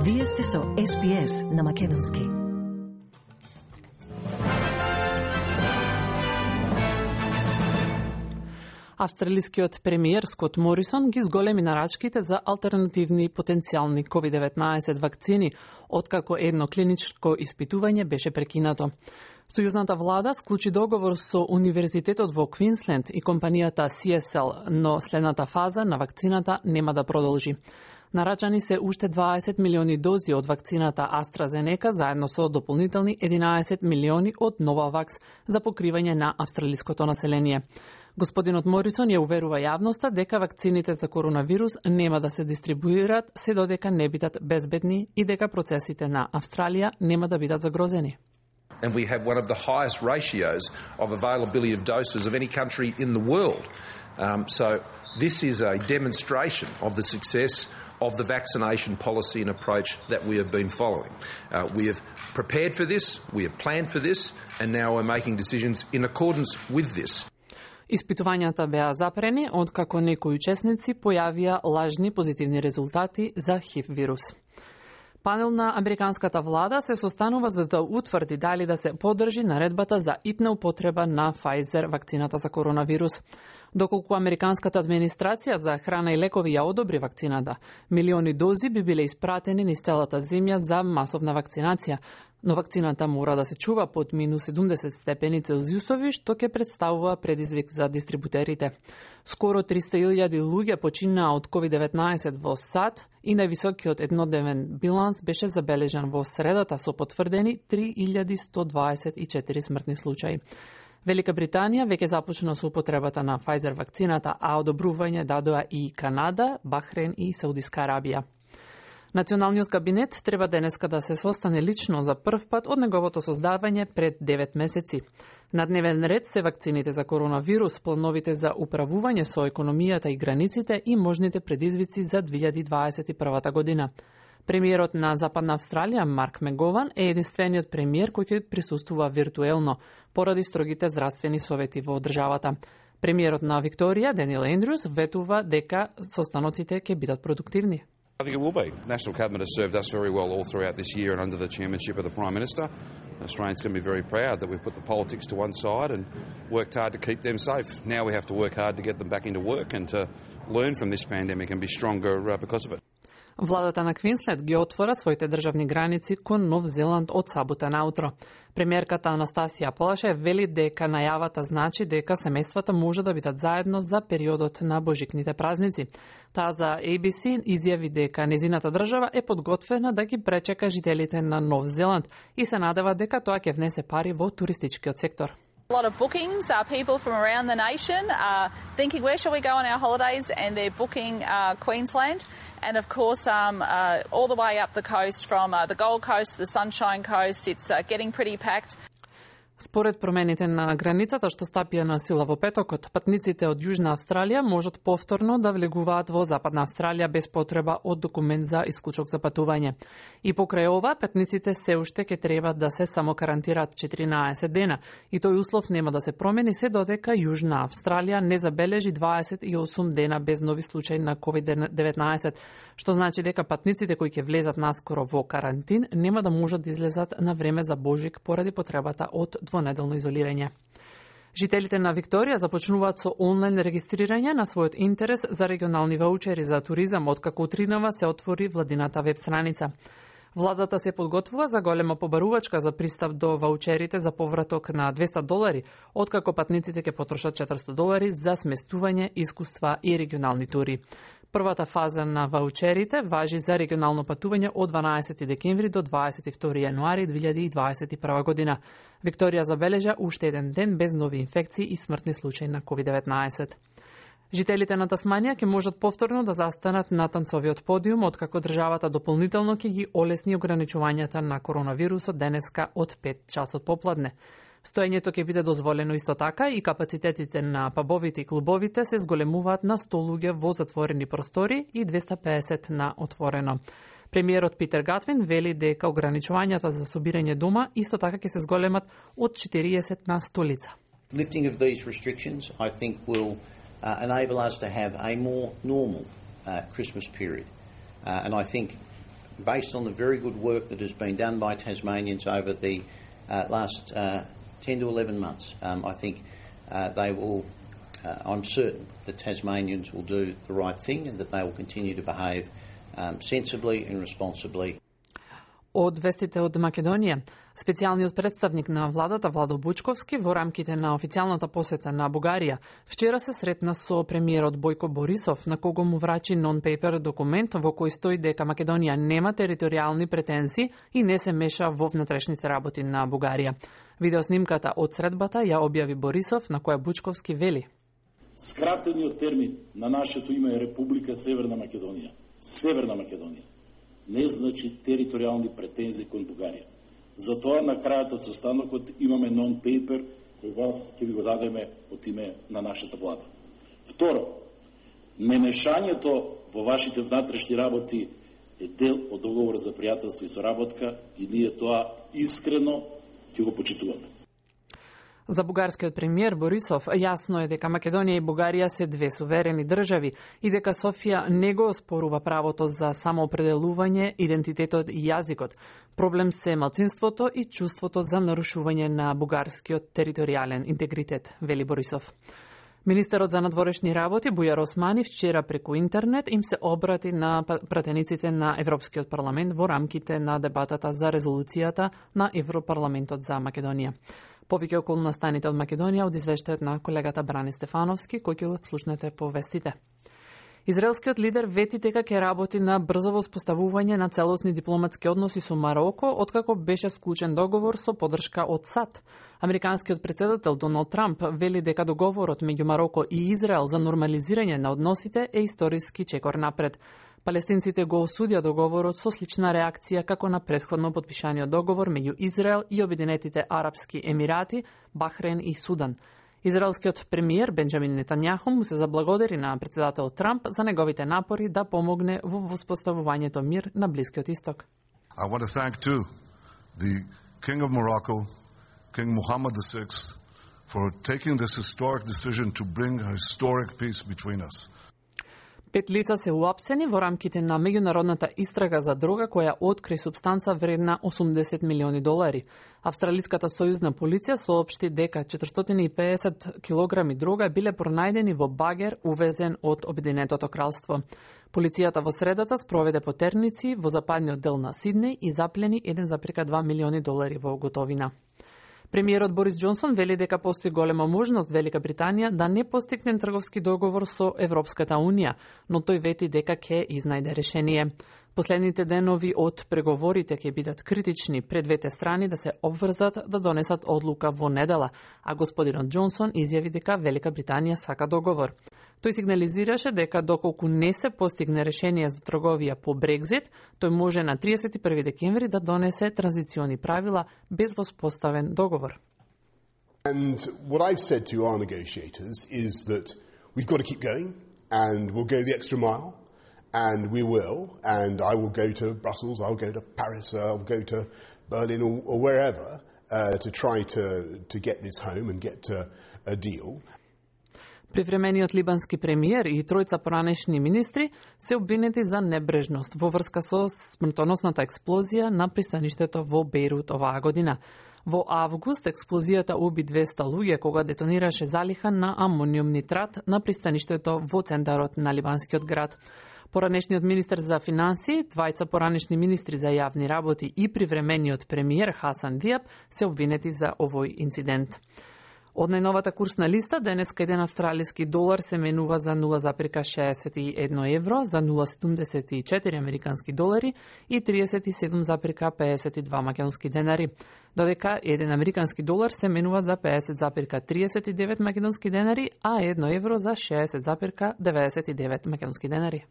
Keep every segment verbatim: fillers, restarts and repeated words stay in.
Вие сте со Ес Би Ес на Македонски. Австралискиот премиер Скот Морисон ги зголеми нарачките за алтернативни потенцијални ковид деветнаесет вакцини, откако едно клиничко испитување беше прекинато. Сојузната влада склучи договор со Универзитетот во Квинсленд и компанијата Си Ес Ел, но следната фаза на вакцината нема да продолжи. Нарачани се уште дваесет милиони дози од вакцината AstraZeneca заедно со дополнителни единаесет милиони од Novavax за покривање на австралиското население. Господинот Морисон ја уверува јавноста дека вакцините за коронавирус нема да се дистрибуираат се додека не бидат безбедни и дека процесите на Австралија нема да бидат загрозени. And we have one of the highest ratios of availability of doses of any country in the world. Um, so this is a demonstration of the success of the vaccination policy and approach that we have been following. Uh, we have prepared for this, we have planned for this, and now we're making decisions in accordance with this. Испитувањата беа запрени откако некои учесници појавија лажни позитивни резултати за ХИВ вирус. Панел на американската влада се состанува за да утврди дали да се поддржи наредбата за итна употреба на Pfizer вакцината за коронавирус. Доколку американската администрација за храна и лекови ја одобри вакцината, милиони дози би биле испратени низ целата земја за масовна вакцинација, но вакцината мора да се чува под минус седумдесет степени Целзиусови, што ќе представува предизвик за дистрибутерите. Скоро триста илјади луѓе починаа од ковид деветнаесет во САД и највисокиот еднодневен биланс беше забележан во средата со потврдени три илјади сто дваесет и четири смртни случаи. Велика Британија веќе започна со употребата на Pfizer вакцината, а одобрување дадоа и Канада, Бахрейн и Саудиска Арабија. Националниот кабинет треба денеска да се состане лично за прв пат од неговото создавање пред девет месеци. На дневен ред се вакцините за коронавирус, плановите за управување со економијата и границите и можните предизвици за две илјади дваесет и прва година. Премиерот на Западна Австралија, Марк Мегован, е единствениот премиер кој ќе присуствува виртуелно, поради строгите здравствени совети во државата. Премиерот на Викторија, Даниел Ендрюс, ветува дека состаноците ќе бидат продуктивни. I think it will be. The National Cabinet has served us very well all throughout this year and under the chairmanship of the Prime Minister. Australians can be very proud that we've put the politics to one side and worked hard to keep them safe. Now we have to work hard to get them back into work and to learn from this pandemic and be stronger because of it. Владата на Квинсленд ги отвора своите државни граници кон Нов Зеланд од сабота наутро. Премиерката Анастасија Полаше вели дека најавата значи дека семејствата може да бидат заедно за периодот на божикните празници. Таа за Ей Би Си изјави дека незината држава е подготвена да ги пречека жителите на Нов Зеланд и се надева дека тоа ќе внесе пари во туристичкиот сектор. A lot of bookings, uh, people from around the nation are thinking where shall we go on our holidays, and they're booking uh, Queensland, and of course um, uh, all the way up the coast from uh, the Gold Coast to the Sunshine Coast, it's uh, getting pretty packed. Според промените на границата што стапија на сила во петокот, патниците од Јужна Австралија можат повторно да влегуваат во Западна Австралија без потреба од документ за исклучок за патување. И покрај ова, патниците се уште ќе треба да се само карантираат четиринаесет дена, и тој услов нема да се промени се додека Јужна Австралија не забележи дваесет и осум дена без нови случаи на ковид деветнаесет, што значи дека патниците кои ќе влезат наскоро во карантин нема да можат да излезат на време за Божик поради потребата од двонеделно изолирање. Жителите на Викторија започнуваат со онлайн регистрирање на својот интерес за регионални ваучери за туризам, откако утринава се отвори владината веб страница. Владата се подготвува за голема побарувачка за пристап до ваучерите за повраток на двесте долари, откако патниците ќе потрошат четиристо долари за сместување, искуства и регионални тури. Првата фаза на ваучерите важи за регионално патување од дванаесети декември до дваесет и втори јануари две илјади дваесет и прва година. Викторија забележа уште еден ден без нови инфекции и смртни случаи на ковид деветнаесет. Жителите на Тасманија ќе можат повторно да застанат на танцовиот подиум, откако државата дополнително ќе ги олесни ограничувањата на коронавирусот денеска од пет часот попладне. Стоењето ќе биде дозволено исто така и капацитетите на пабовите и клубовите се зголемуваат на сто луѓе во затворени простори и двесте и песет на отворено. Премиерот Питер Гатвин вели дека ограничувањата за собирање дома исто така ќе се зголемат од четириесет на сто лица. Lifting of these restrictions, I think, will uh, enable us to have a more normal uh, Christmas period. Uh, and I think based on the very good work that has been done by Tasmanians over the uh, last uh, ten to eleven months. Um, I think uh, they will, uh, I'm certain that Tasmanians will do the right thing and that they will continue to behave um, sensibly and responsibly. Од вестите од Македонија, специјалниот представник на владата Владо Бучковски во рамките на официјалната посета на Бугарија вчера се сретна со премиерот Бојко Борисов, на кого му врачи нон-пейпер документ во кој стои дека Македонија нема територијални претензии и не се меша во внатрешните работи на Бугарија. Видеоснимката од средбата ја објави Борисов, на која Бучковски вели: Скратениот термин на нашето име е Република Северна Македонија. Северна Македонија не значи територијални претензии кон Бугарија. Затоа на крајот од состанокот имаме нон-пейпер кој вас ќе ви го дадеме од име на нашата влада. Второ, немешањето во вашите внатрешни работи е дел од договор за пријателство и соработка и ние тоа искрено ќе го почитуваме. За бугарскиот премиер Борисов јасно е дека Македонија и Бугарија се две суверени држави и дека Софија не го оспорува правото за самоопределување, идентитетот и јазикот. Проблем се малцинството и чувството за нарушување на бугарскиот територијален интегритет, вели Борисов. Министерот за надворешни работи Бујар Османи вчера преку интернет им се обрати на пратениците на Европскиот парламент во рамките на дебатата за резолуцијата на Европарламентот за Македонија. Повеќе околу настаните од Македонија од извештајот на колегата Бране Стефановски, кој ќе го слушнете по вестите. Израелскиот лидер вети дека ќе работи на брзо воспоставување на целосни дипломатски односи со Мароко, откако беше склучен договор со поддршка од САД. Американскиот председател Доналд Трамп вели дека договорот меѓу Мароко и Израел за нормализирање на односите е историски чекор напред. Палестинците го осудија договорот со слична реакција како на претходно подпишаниот договор меѓу Израел и Обединетите Арапски Емирати, Бахрейн и Судан. Израелскиот премиер Бенџамин Нетањаху му се заблагодари на председател Трамп за неговите напори да помогне во воспоставувањето мир на Блискиот Исток. I want to thank too the King of Morocco, King Mohammed the sixth, for taking this historic decision to bring a historic peace between us. Пет лица се уапсени во рамките на меѓународната истрага за дрога која откри супстанца вредна осумдесет милиони долари. Австралиската сојузна полиција соопшти дека четиристотини и педесет килограми дрога биле пронајдени во багер увезен од Обединетото кралство. Полицијата во средата спроведе потерници во западниот дел на Сиднеј и заплени еден зарез два милиони долари во готовина. Премиерот Борис Џонсон вели дека постои голема можност Велика Британија да не постигне трговски договор со Европската Унија, но тој вети дека ќе изнајде решение. Последните денови од преговорите ќе бидат критични пред двете страни да се обврзат да донесат одлука во недела, а господинот Џонсон изјави дека Велика Британија сака договор. Тој сигнализираше дека доколку не се постигне решение за трговија по Брекзит, тој може на триесет и први декември да донесе транзициони правила без воспоставен договор. And what I've said to our negotiators is that we've got to keep going and we'll go the extra mile and we will and I will go to Brussels, I'll go to Paris, I'll go to Berlin or, or wherever uh, to try to, to get this home and get to a deal. Привремениот либански премиер и тројца поранешни министри се обвинети за небрежност во врска со смртоносната експлозија на пристаништето во Бејрут оваа година. Во август експлозијата уби двеста луѓе кога детонираше залиха на амониум нитрат на пристаништето во центарот на либанскиот град. Поранешниот министер за финансии, двајца поранешни министри за јавни работи и привремениот премиер Хасан Диаб се обвинети за овој инцидент. Од најновата курсна листа, денеска еден австралиски долар се менува за нула зарез шеесет и едно евро, за нула зарез седумдесет и четири американски долари и триесет и седум зарез пеесет и два македонски денари, додека еден американски долар се менува за пеесет зарез триесет и девет македонски денари, а едно евро за шеесет зарез деветдесет и девет македонски денари.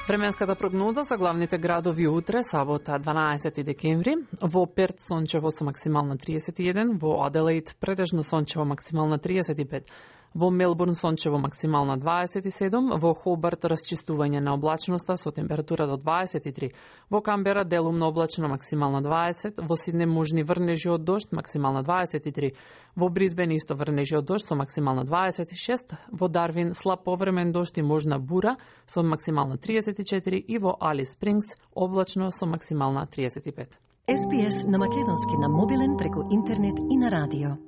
Временската прогноза за главните градови утре, сабота дванаесети декември, во Перт сончево со максимална триесет и еден, во Аделаид претежно сончево максимална триесет и пет, Во Мелбурн сончево максимална дваесет и седум, во Хобарт расчистување на облачноста со температура до дваесет и три, во Камбера делумно облачно максимална дваесет, во Сидне можни врнежи од дожд максимална дваесет и три, во Бризбен исто врнежи од дожд со максимална дваесет и шест, во Дарвин слаб повремен дожд и можна бура со максимална триесет и четири и во Алис Спрингс облачно со максимална триесет и пет. Ес Би Ес на македонски на мобилен преку интернет и на радио.